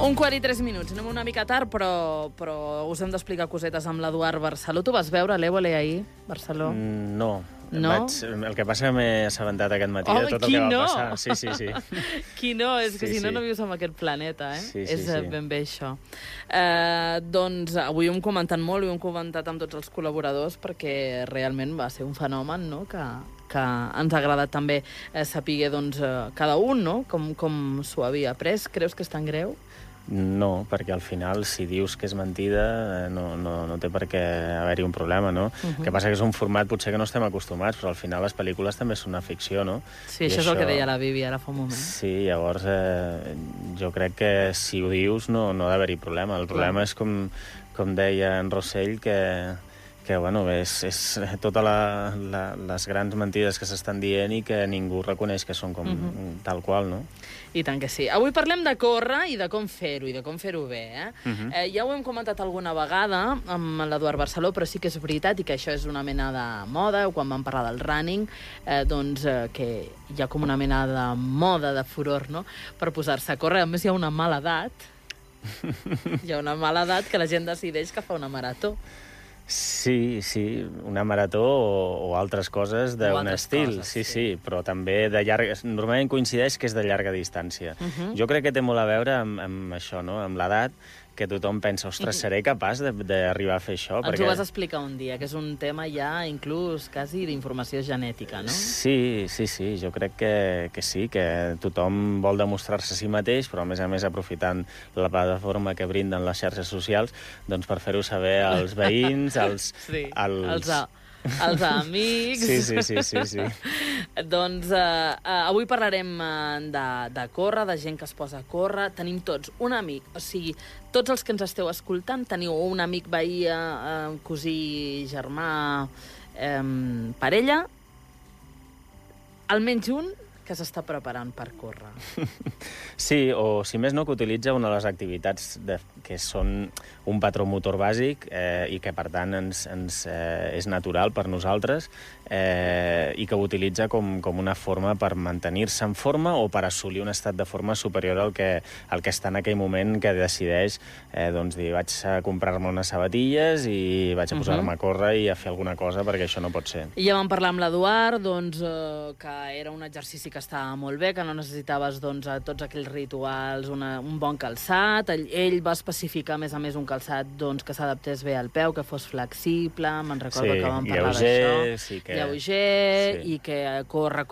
1:43. Anem una mica tard, però us hem d'explicar cosetes amb l'Eduard Barceló. Tu vas veure l'Évole ahir, Barceló? No. No? El que passa que m'he assabentat aquest matí de tot el que va passar. Sí. Qui no? És que si no vius en aquest planeta, eh? Sí. És ben bé això. Doncs avui ho hem comentat molt, ho hem comentat amb tots els col·laboradors, perquè realment va ser un fenomen, no?, que ens ha agradat també saber cada un, no?, com s'ho havia pres. Creus que és tan greu? No, perquè al final, si dius que és mentida, no té per què haver-hi un problema, no? El que passa que és un format potser que no estem acostumats, però al final les pel·lícules també són una ficció, no? Sí, això és el que deia la Bibi ara fa un moment. Sí, llavors jo crec que si ho dius no ha d'haver-hi problema. El problema és com deia en Rossell, que bueno, és totes les grans mentides que s'estan dient i que ningú reconeix que són com tal qual, no? I tant que sí. Avui parlem de córrer i de com fer-ho, i de com fer-ho bé, eh? Ja ho hem comentat alguna vegada amb l'Eduard Barceló, però sí que és veritat, i que això és una mena de moda, quan vam parlar del running, que hi ha com una mena de moda, de furor, no?, per posar-se a córrer. A més, hi ha una mala edat. Hi ha una mala edat que la gent decideix que fa una marató. Sí, una marató o altres coses d'un estil, sí, però també de llarga... Normalment coincideix que és de llarga distància. Jo crec que té molt a veure amb això, no?, amb l'edat, que tothom pensa, ostres, seré capaç d'arribar a fer això? Ens ho vas explicar un dia, que és un tema ja inclús quasi d'informació genètica, no? Sí, jo crec que sí, que tothom vol demostrar-se a si mateix, però a més aprofitant la plataforma que brinden les xarxes socials, doncs per fer-ho saber als veïns, als amics... Sí. Doncs avui parlarem de córrer, de gent que es posa a córrer. Tenim tots un amic, o sigui, tots els que ens esteu escoltant teniu un amic, veí, cosí, germà, parella, almenys un que s'està preparant per córrer. Sí, o si més no, que utilitza una de les activitats que són un patró motor bàsic i que, per tant, és natural per nosaltres i que ho utilitza com una forma per mantenir-se en forma o per assolir un estat de forma superior al que està en aquell moment que decideix dir, vaig a comprar-me unes sabatilles i vaig a posar-me a córrer i a fer alguna cosa perquè això no pot ser. I ja vam parlar amb l'Eduard, que era un exercici que estava molt bé, que no necessitaves tots aquells rituals, un bon calçat. Ell va especificar, a més, un calçat que s'adaptés bé al peu, que fos flexible, me'n recordo que vam parlar d'això. Lleuger, i que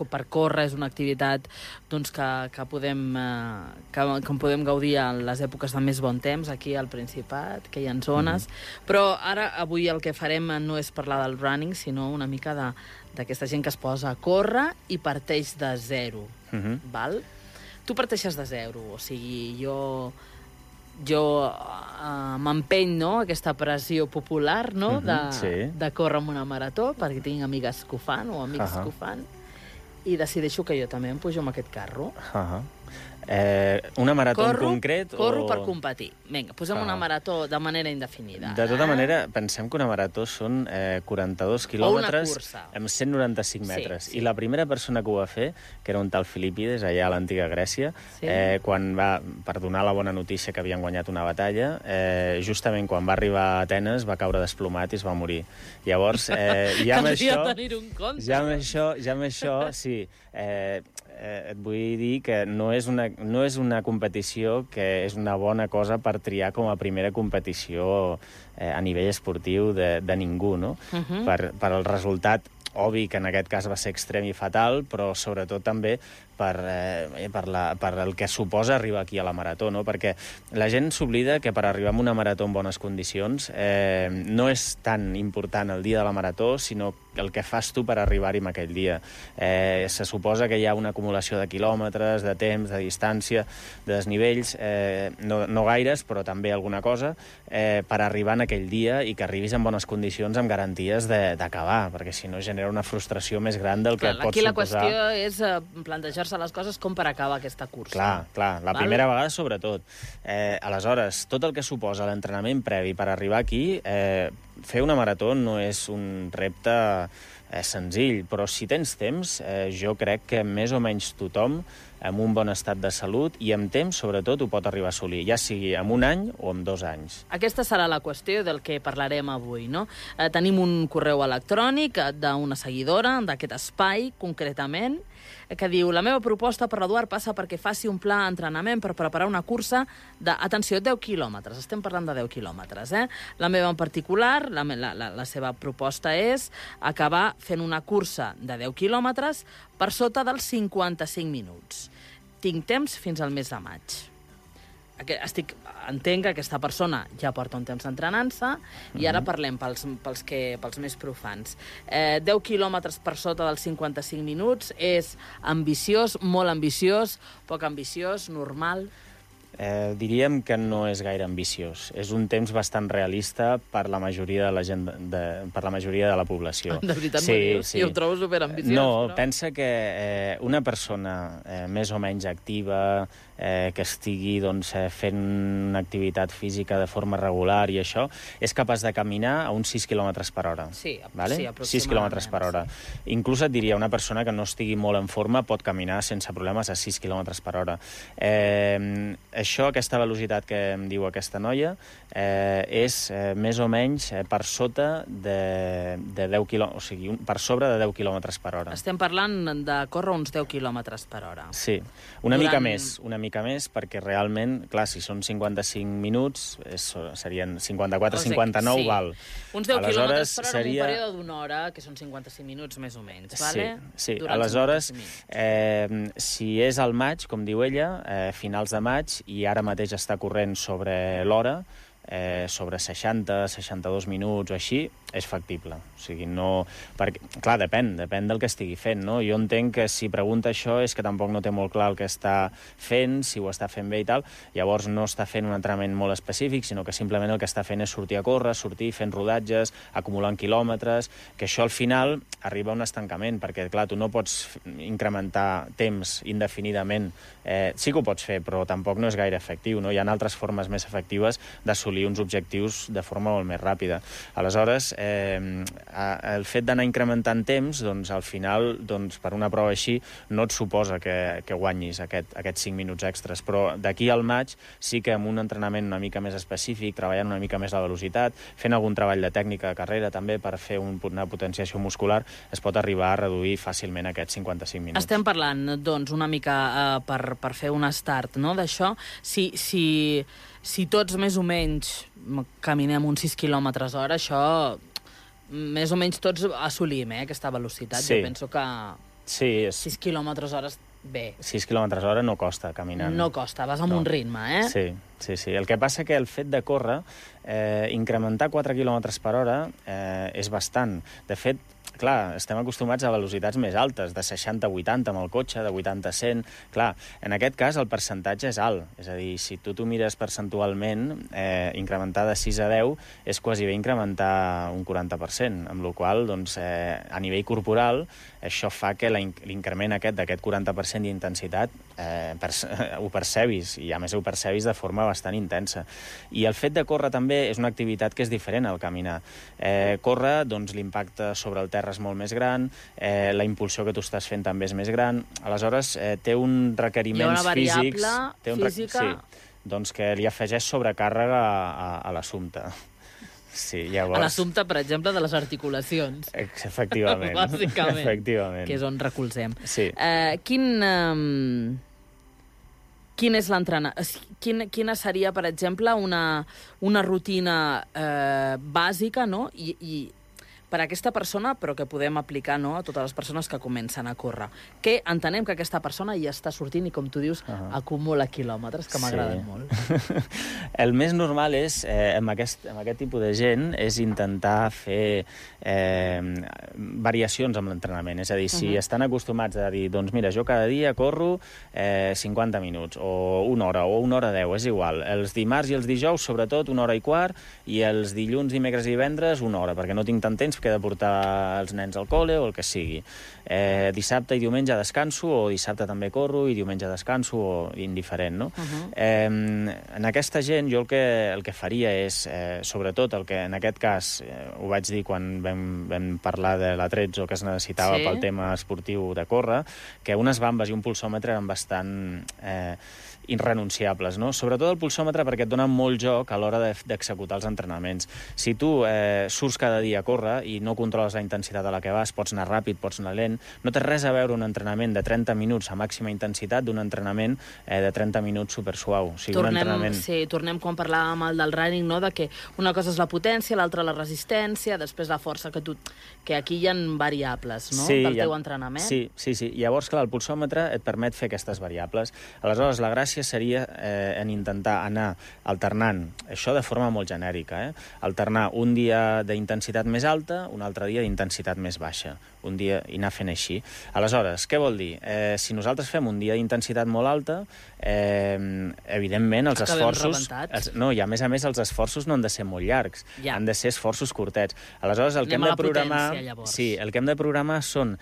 per córrer és una activitat que podem gaudir en les èpoques de més bon temps, aquí al Principat, que hi ha zones. Però avui el que farem no és parlar del running, sinó una mica d'aquesta gent que es posa a córrer i parteix de zero. Val? Tu parteixes de zero, o sigui, jo m'empeny, no?, aquesta pressió popular, no?, de córrer amb una marató, perquè tinc amigues que ho fan, o amics que ho fan, i decideixo que jo també em pujo amb aquest carro. Una marató en concret? Corro per competir. Vinga, posem una marató de manera indefinida. De tota manera, pensem que una marató són 42 quilòmetres amb 195 metres. I la primera persona que ho va fer, que era un tal Filípides, allà a l'antiga Grècia, quan va, per donar la bona notícia que havien guanyat una batalla, justament quan va arribar a Atenes va caure desplomat i es va morir. Llavors, ja amb això, sí, et vull dir que no és una competició que és una bona cosa per triar com a primera competició a nivell esportiu de ningú, no? Per el resultat obvi, que en aquest cas va ser extrem i fatal, però sobretot també per el que suposa arribar aquí a la marató, no? Perquè la gent s'oblida que per arribar a una marató en bones condicions no és tan important el dia de la marató, sinó el que fas tu per arribar-hi en aquell dia. Se suposa que hi ha una acumulació de quilòmetres, de temps, de distància, de desnivells, no gaires, però també alguna cosa, per arribar en aquell dia i que arribis en bones condicions amb garanties d'acabar, perquè si no genera una frustració més gran del que et pot suposar. Aquí la qüestió és plantejar-se les coses com per acabar aquesta cursa. Clar, la primera vegada sobretot. Aleshores, tot el que suposa l'entrenament previ per arribar aquí, fer una marató no és un repte senzill, però si tens temps, jo crec que més o menys tothom, amb un bon estat de salut i amb temps, sobretot, ho pot arribar a assolir, ja sigui en 1 any o en 2 anys. Aquesta serà la qüestió del que parlarem avui, no? Tenim un correu electrònic d'una seguidora d'aquest espai, concretament, que diu: la meva proposta per l'Eduard passa perquè faci un pla d'entrenament per preparar una cursa de, atenció, 10 quilòmetres. Estem parlant de 10 quilòmetres, eh? La meva en particular, la seva proposta és acabar fent una cursa de 10 quilòmetres per sota dels 55 minuts. Tinc temps fins al mes de maig. Entenc que aquesta persona ja porta un temps entrenant-se i ara parlem pels més profans. 10 quilòmetres per sota dels 55 minuts és ambiciós, molt ambiciós, poc ambiciós, normal? Diríem que no és gaire ambiciós. És un temps bastant realista per la majoria de la gent, per la majoria de la població. De veritat, sí. Jo ho trobo superambiciós. No, pensa que una persona més o menys activa, que estigui fent una activitat física de forma regular i això, és capaç de caminar a uns 6 km per hora. Sí, vale? Sí, aproximadament. 6 km per hora. Sí. Inclús et diria, una persona que no estigui molt en forma pot caminar sense problemes a 6 km per hora. Aquesta velocitat que em diu aquesta noia és més o menys per sota de 10 km, o sigui, per sobre de 10 km per hora. Estem parlant de córrer uns 10 km per hora. Sí, una mica més, perquè realment, clar, si són 55 minuts, serien 54, 59, sí. Val. Uns 10 quilòmetres per hora en un període d'una hora, que són 55 minuts més o menys, vale? Sí. Aleshores, si és al maig, com diu ella, finals de maig, i ara mateix està corrent sobre l'hora, sobre 60, 62 minuts o així, és factible. O sigui, no... Perquè, clar, depèn del que estigui fent, no? Jo entenc que si pregunta això és que tampoc no té molt clar el que està fent, si ho està fent bé i tal, llavors no està fent un entrenament molt específic, sinó que simplement el que està fent és sortir a córrer, sortir fent rodatges, acumulant quilòmetres, que això al final arriba a un estancament, perquè, clar, tu no pots incrementar temps indefinidament. Sí que ho pots fer, però tampoc no és gaire efectiu, no? Hi ha altres formes més efectives d'assolir uns objectius de forma molt més ràpida. Aleshores, el fet d'anar incrementant temps, doncs, al final, per una prova així, no et suposa que guanyis aquests 5 minuts extras, però d'aquí al maig sí que amb un entrenament una mica més específic, treballant una mica més la velocitat, fent algun treball de tècnica de carrera també per fer una potenciació muscular, es pot arribar a reduir fàcilment aquests 55 minuts. Estem parlant, doncs, una mica per fer un start, no?, d'això. Si tots més o menys caminem uns 6 km/h, això més o menys tots assolim, aquesta velocitat. Sí. Jo penso que 6 km/h bé. 6 km/h no costa caminant. No costa, vas amb un ritme, eh? Sí. El que passa que el fet de córrer, incrementar 4 km per hora és bastant. De fet, clar, estem acostumats a velocitats més altes, de 60 a 80 amb el cotxe, de 80 a 100. Clar, en aquest cas el percentatge és alt. És a dir, si tu t'ho mires percentualment, incrementar de 6 a 10 és quasi bé incrementar un 40%, amb la qual cosa, a nivell corporal, això fa que l'increment d'aquest 40% d'intensitat ho percebis, i a més ho percebis de forma bastant intensa. I el fet de córrer també és una activitat que és diferent al caminar. Córrer, doncs, l'impacte sobre el terra és molt més gran, la impulsió que tu estàs fent també és més gran, aleshores té uns requeriments físics... Hi ha una variable física... Sí, doncs que li afegeix sobrecàrrega a l'assumpte. Sí, llavors... A l'assumpte, per exemple, de les articulacions. Efectivament. Bàsicament. Efectivament. Que és on recolzem. Sí. Quin és quina seria, per exemple, una rutina bàsica, no?, i per a aquesta persona, però que podem aplicar, no?, a totes les persones que comencen a córrer. Que entenem que aquesta persona ja està sortint i, com tu dius, acumula quilòmetres, que m'agraden molt. El més normal és, amb aquest tipus de gent, és intentar fer variacions amb l'entrenament. És a dir, si estan acostumats a dir, doncs mira, jo cada dia corro 50 minuts, o 1 hora, o 1 hora 10, és igual. Els dimarts i els dijous, sobretot, 1 hora i quart, i els dilluns, dimecres i divendres, 1 hora, perquè no tinc tant temps, que he de portar els nens al col·le o el que sigui. Dissabte i diumenge descanso, o dissabte també corro i diumenge descanso, o indiferent, no? En aquesta gent jo el que faria és, sobretot el que en aquest cas ho vaig dir quan vam parlar de l'Atrezzo que es necessitava pel tema esportiu de córrer, que unes bambes i un pulsòmetre eren bastant irrenunciables, no? Sobretot el pulsòmetre perquè et dona molt joc a l'hora d'executar els entrenaments. Si tu surts cada dia a córrer i no controles la intensitat a la que vas, pots anar ràpid, pots anar lent, no té res a veure un entrenament de 30 minuts a màxima intensitat d'un entrenament de 30 minuts supersuau. O sigui, tornem quan parlàvem del running, no? De que una cosa és la potència, l'altra la resistència, després la força, que aquí hi ha variables, no? Del teu entrenament. Sí. Llavors, clar, el pulsòmetre et permet fer aquestes variables. Aleshores, la gràcia seria en intentar anar alternant, això de forma molt genèrica, alternar un dia d'intensitat més alta, un altre dia d'intensitat més baixa, un dia i anar fent així. Aleshores, què vol dir? Si nosaltres fem un dia d'intensitat molt alta, evidentment els esforços... No, i a més els esforços no han de ser molt llargs, han de ser esforços curtets. Aleshores, el que hem de programar... Sí, el que hem de programar són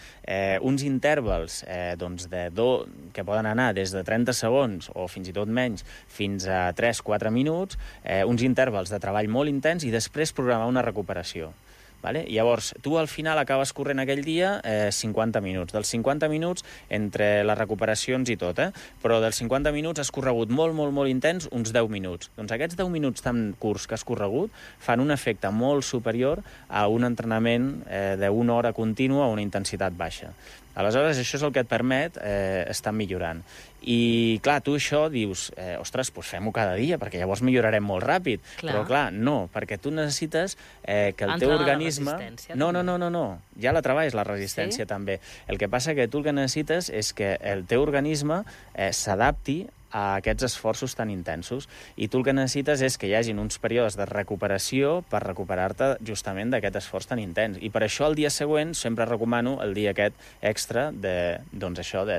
uns intervals que poden anar des de 30 segons o fins i tot menys, fins a 3-4 minuts, uns intervals de treball molt intens i després programar una recuperació. Vale? Llavors, tu al final acabes corrent aquell dia 50 minuts. Dels 50 minuts, entre les recuperacions i tot, però dels 50 minuts has corregut molt intens uns 10 minuts. Doncs aquests 10 minuts tan curts que has corregut fan un efecte molt superior a un entrenament d'una hora contínua a una intensitat baixa. Aleshores, això és el que et permet estar millorant. I, clar, tu això dius, ostres, doncs fem-ho cada dia, perquè llavors millorarem molt ràpid. Però, clar, no, perquè tu necessites que el teu organisme... No. Ja la treballes, la resistència, també. El que passa que tu el que necessites és que el teu organisme s'adapti a aquests esforços tan intensos. I tu el que necessites és que hi hagin uns períodes de recuperació per recuperar-te justament d'aquest esforç tan intens. I per això el dia següent sempre recomano el dia aquest extra de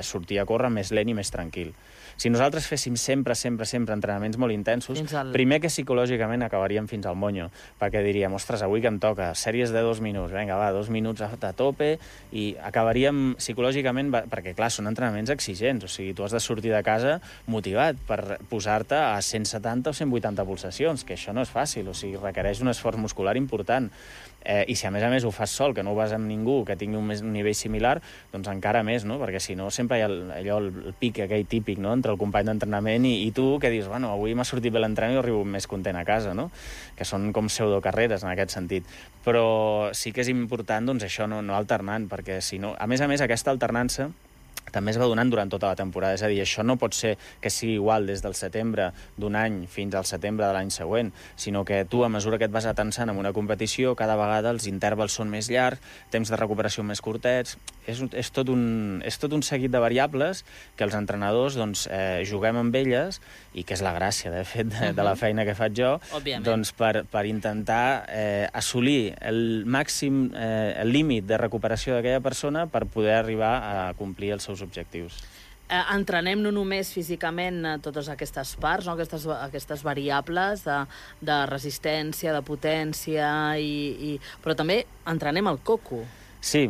sortir a córrer més lent i més tranquil. Si nosaltres féssim sempre entrenaments molt intensos, primer que psicològicament acabaríem fins al monyo, perquè diríem, ostres, avui que em toca, sèries de 2 minuts, vinga, va, 2 minuts a tope, i acabaríem psicològicament, perquè, clar, són entrenaments exigents, o sigui, tu has de sortir de casa motivat per posar-te a 170 o 180 pulsacions, que això no és fàcil, o sigui, requereix un esforç muscular important. I si a més ho fas sol, que no ho vas amb ningú que tingui un nivell similar, doncs encara més, no? Perquè si no sempre hi ha el pic aquell típic, no?, entre el company d'entrenament i tu, que dius, bueno, avui m'ha sortit bé l'entrenament i arribo més content a casa, no? Que són com pseudocarreres en aquest sentit. Però sí que és important, doncs, això no alternant, perquè si no... A més, aquesta alternança també es va donant durant tota la temporada. És a dir, això no pot ser que sigui igual des del setembre d'un any fins al setembre de l'any següent, sinó que tu, a mesura que et vas atensant en una competició, cada vegada els intervals són més llargs, temps de recuperació més curtets... És tot un seguit de variables que els entrenadors juguem amb elles, i que és la gràcia, de fet, de la feina que faig jo, doncs per intentar assolir el màxim, el límit de recuperació d'aquella persona per poder arribar a complir els seus objectius. Entrenem no només físicament totes aquestes parts, no? aquestes variables de resistència, de potència, però també entrenem el coco. Sí,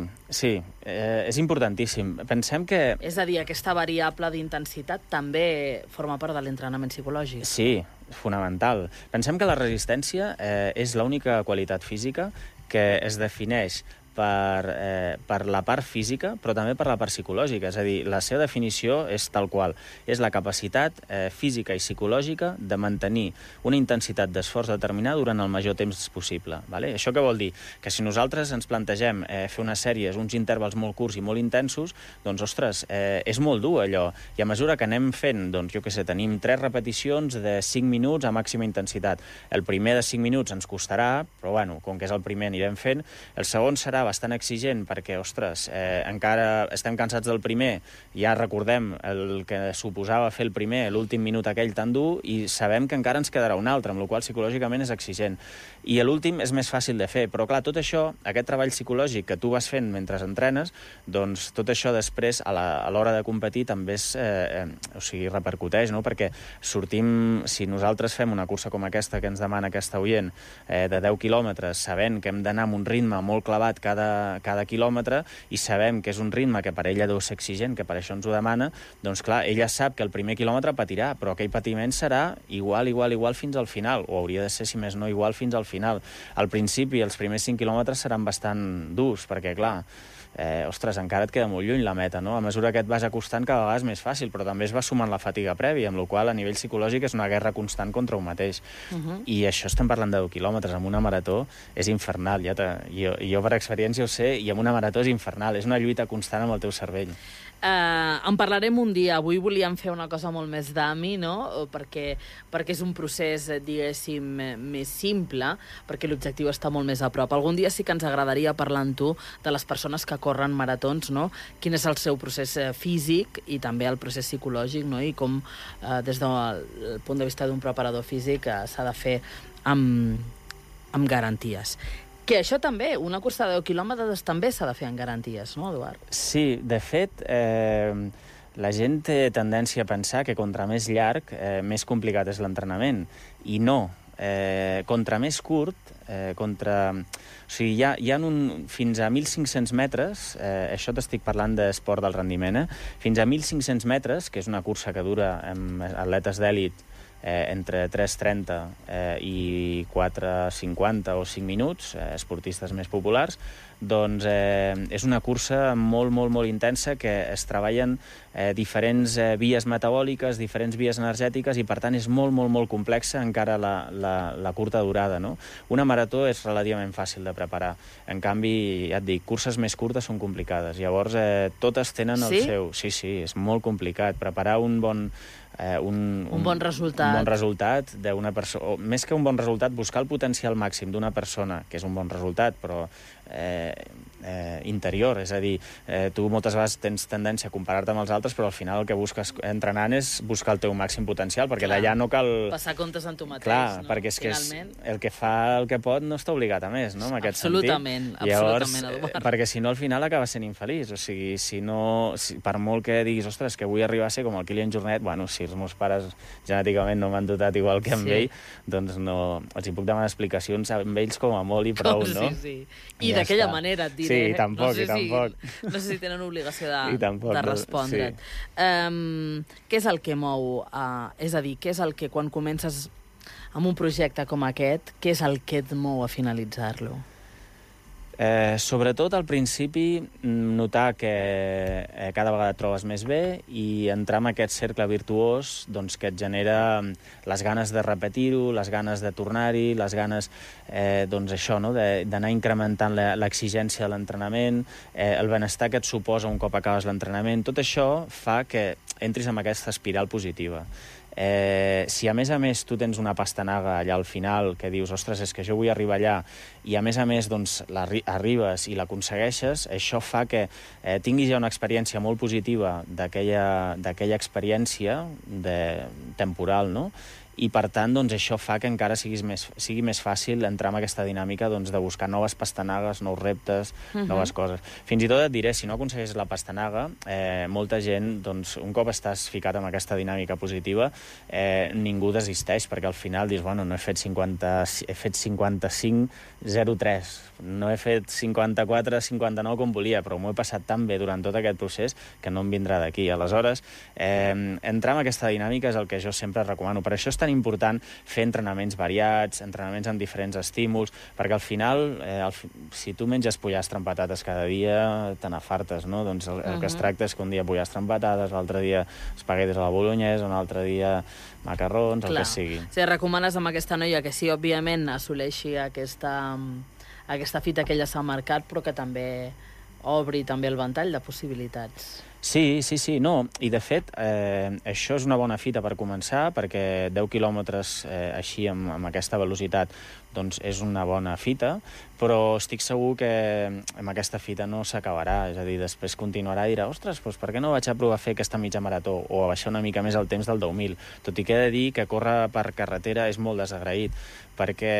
és importantíssim. Pensem que... És a dir, aquesta variable d'intensitat també forma part de l'entrenament psicològic. Sí, fonamental. Pensem que la resistència és l'única qualitat física que es defineix per la part física, però també per la part psicològica. És a dir, la seva definició és tal qual. És la capacitat física i psicològica de mantenir una intensitat d'esforç determinada durant el major temps possible. Vale? Això què vol dir? Que si nosaltres ens plantegem fer unes sèries, uns intervals molt curts i molt intensos, doncs, ostres, és molt dur allò. I a mesura que anem fent, doncs, jo què sé, tenim 3 repeticions de 5 minuts a màxima intensitat. El primer de 5 minuts ens costarà, però, bueno, com que és el primer anirem fent. El segon serà serà bastant exigent perquè, ostres, encara estem cansats del primer, ja recordem el que suposava fer el primer, l'últim minut aquell tan dur, i sabem que encara ens quedarà un altre, amb la qual cosa psicològicament és exigent. I l'últim és més fàcil de fer, però clar, tot això, aquest treball psicològic que tu vas fent mentre entrenes, doncs tot això després, a l'hora de competir, també repercuteix, no? Perquè sortim, si nosaltres fem una cursa com aquesta que ens demana aquesta oient, de 10 quilòmetres, sabent que hem d'anar amb un ritme molt clavat cada quilòmetre, i sabem que és un ritme que per ella deu ser exigent, que per això ens ho demana, doncs clar, ella sap que el primer quilòmetre patirà, però aquell patiment serà igual fins al final, o hauria de ser, si més no, igual fins al final. Al principi, els primers 5 quilòmetres seran bastant durs, perquè, clar, ostres, encara et queda molt lluny la meta, no? A mesura que et vas acostant, cada vegada és més fàcil, però també es va sumant la fatiga prèvia, amb la qual a nivell psicològic és una guerra constant contra un mateix. I això estem parlant de 10 quilòmetres. Amb una marató és infernal. Jo per experiència ho sé, i amb una marató és infernal. És una lluita constant amb el teu cervell. En parlarem un dia. Avui volíem fer una cosa molt més d'AMI, no? Perquè és un procés, diguéssim, més simple, perquè l'objectiu està molt més a prop. Algun dia sí que ens agradaria parlar amb tu de les persones que corren maratons, no? Quin és el seu procés físic i també el procés psicològic, no? I com, des del punt de vista d'un preparador físic, s'ha de fer amb garanties. Que això també, una cursa de 10 quilòmetres també s'ha de fer amb garanties, no, Eduard? Sí, de fet, la gent té tendència a pensar que contra més llarg, més complicat és l'entrenament. I no. Contra més curt, o sigui, hi ha fins a 1.500 metres, això t'estic parlant d'esport del rendiment, fins a 1.500 metres, que és una cursa que dura amb atletes d'èlit entre 3:30 i 4:50 o 5 minuts, esportistes més populars, doncs és una cursa molt, molt, molt intensa que es treballen diferents vies metabòliques, diferents vies energètiques, i per tant és molt, molt, molt complexa encara la curta durada, no? Una marató és relativament fàcil de preparar. En canvi, ja et dic, curses més curtes són complicades. Llavors, totes tenen el seu... Sí, és molt complicat. Preparar un bon resultat d'una persona, o més que un bon resultat, buscar el potencial màxim d'una persona, que és un bon resultat, però interior, és a dir, tu moltes vegades tens tendència a comparar-te amb els altres, però al final el que busques entrenant és buscar el teu màxim potencial, perquè d'allà no cal... Passar comptes amb tu mateix, clar, no? perquè és que el que fa el que pot no està obligat a més, no? En aquest absolutament, sentit. Llavors, Eduard. perquè si no al final acaba sent infeliç, o sigui, per molt que diguis, ostres, que vull arribar a ser com el Kilian Jornet, bueno, si els meus pares genèticament no m'han dotat igual que amb ell, doncs no, els hi puc demanar explicacions amb ells com a molt i prou, no? Sí. I d'aquella manera et diré. Sí, tampoc. No sé si tenen obligació de respondre't. Sí. Què és el que mou? És a dir, què és el que quan comences amb un projecte com aquest, què és el que et mou a finalitzar-lo? Sobretot al principi notar que cada vegada et trobes més bé i entrar en aquest cercle virtuós, doncs, que et genera les ganes de repetir-ho, les ganes de tornar-hi, les ganes doncs això, no? D'anar incrementant l'exigència de l'entrenament, el benestar que et suposa un cop acabes l'entrenament. Tot això fa que entris en aquesta espiral positiva. Si a més tu tens una pastanaga allà al final que dius, ostres, és que jo vull arribar allà, i a més doncs, arribes i l'aconsegueixes, això fa que tinguis ja una experiència molt positiva d'aquella experiència temporal, no? I per tant, doncs, això fa que encara sigui més fàcil entrar en aquesta dinàmica, doncs, de buscar noves pastanagues, nous reptes, noves coses. Fins i tot et diré, si no aconsegueixes la pastanaga, molta gent, doncs, un cop estàs ficat en aquesta dinàmica positiva, ningú desisteix, perquè al final dius, bueno, no he fet 55,03, no he fet 54,59 com volia, però m'ho he passat tan bé durant tot aquest procés que no em vindrà d'aquí. Aleshores, entrar en aquesta dinàmica és el que jo sempre recomano. Per això és tan important fer entrenaments variats, entrenaments amb diferents estímuls, perquè al final, si tu menges pollastre amb patates cada dia, te n'afartes, no? Doncs el que es tracta és que un dia pollastre amb patates, l'altre dia espaguetis a la bolognesa, un altre dia macarrons, el que sigui. Si recomanes amb aquesta noia que sí, òbviament, assoleixi aquesta fita que ella s'ha marcat, però que també obri també el ventall de possibilitats. Sí, no, i de fet això és una bona fita per començar, perquè 10 quilòmetres així amb aquesta velocitat doncs és una bona fita, però estic segur que amb aquesta fita no s'acabarà, és a dir, després continuarà i dirà, ostres, doncs per què no vaig a provar a fer aquesta mitja marató o a baixar una mica més el temps del 10.000? Tot i que he de dir que córrer per carretera és molt desagraït, perquè,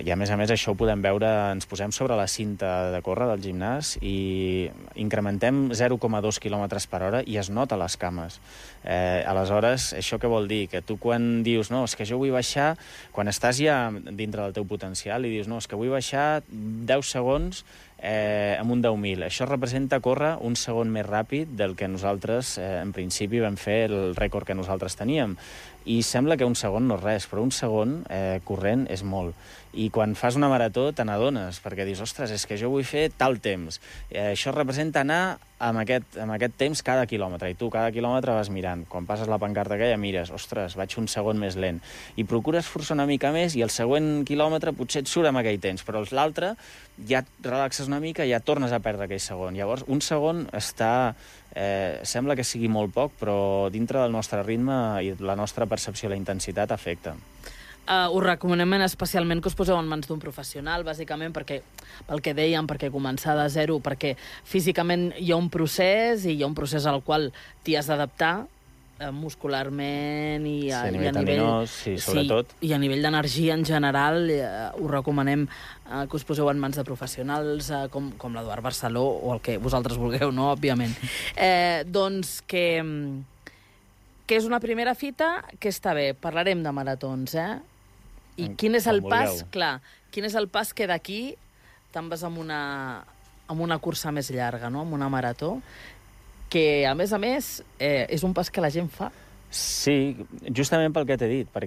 i a més això ho podem veure, ens posem sobre la cinta de córrer del gimnàs i incrementem 0,2 km per hora i es nota les cames. Aleshores, això què vol dir? Que tu quan dius, no, és que jo vull baixar, quan estàs ja dintre del teu potencial i dius, no, és que vull baixar 10 segons amb un 10.000. Això representa córrer un segon més ràpid del que nosaltres, en principi, vam fer el rècord que nosaltres teníem. I sembla que un segon no és res, però un segon corrent és molt. I quan fas una marató te n'adones, perquè dius, ostres, és que jo vull fer tal temps. Això representa anar amb aquest temps cada quilòmetre, i tu cada quilòmetre vas mirant. Quan passes la pancarta aquella mires, ostres, vaig un segon més lent. I procures forçar una mica més i el següent quilòmetre potser et surt amb aquell temps, però l'altre ja et relaxes una mica i ja tornes a perdre aquell segon. Llavors, un segon està... sembla que sigui molt poc, però dintre del nostre ritme i la nostra percepció de la intensitat afecta. Us recomanem especialment que us poseu en mans d'un professional, bàsicament pel que dèiem, perquè començar de zero, perquè físicament hi ha un procés i hi ha un procés al qual t'hi has d'adaptar muscularment i a nivell... Sí, sobretot. I a nivell d'energia en general us recomanem que us poseu en mans de professionals com l'Eduard Barceló o el que vosaltres vulgueu, no? Òbviament. Doncs que és una primera fita que està bé. Parlarem de maratons, I quin és el pas? Clar, quin és el pas que d'aquí te'n vas amb una cursa més llarga, no? Amb una marató, que, a més, és un pas que la gent fa. Sí, justament pel que t'he dit, perquè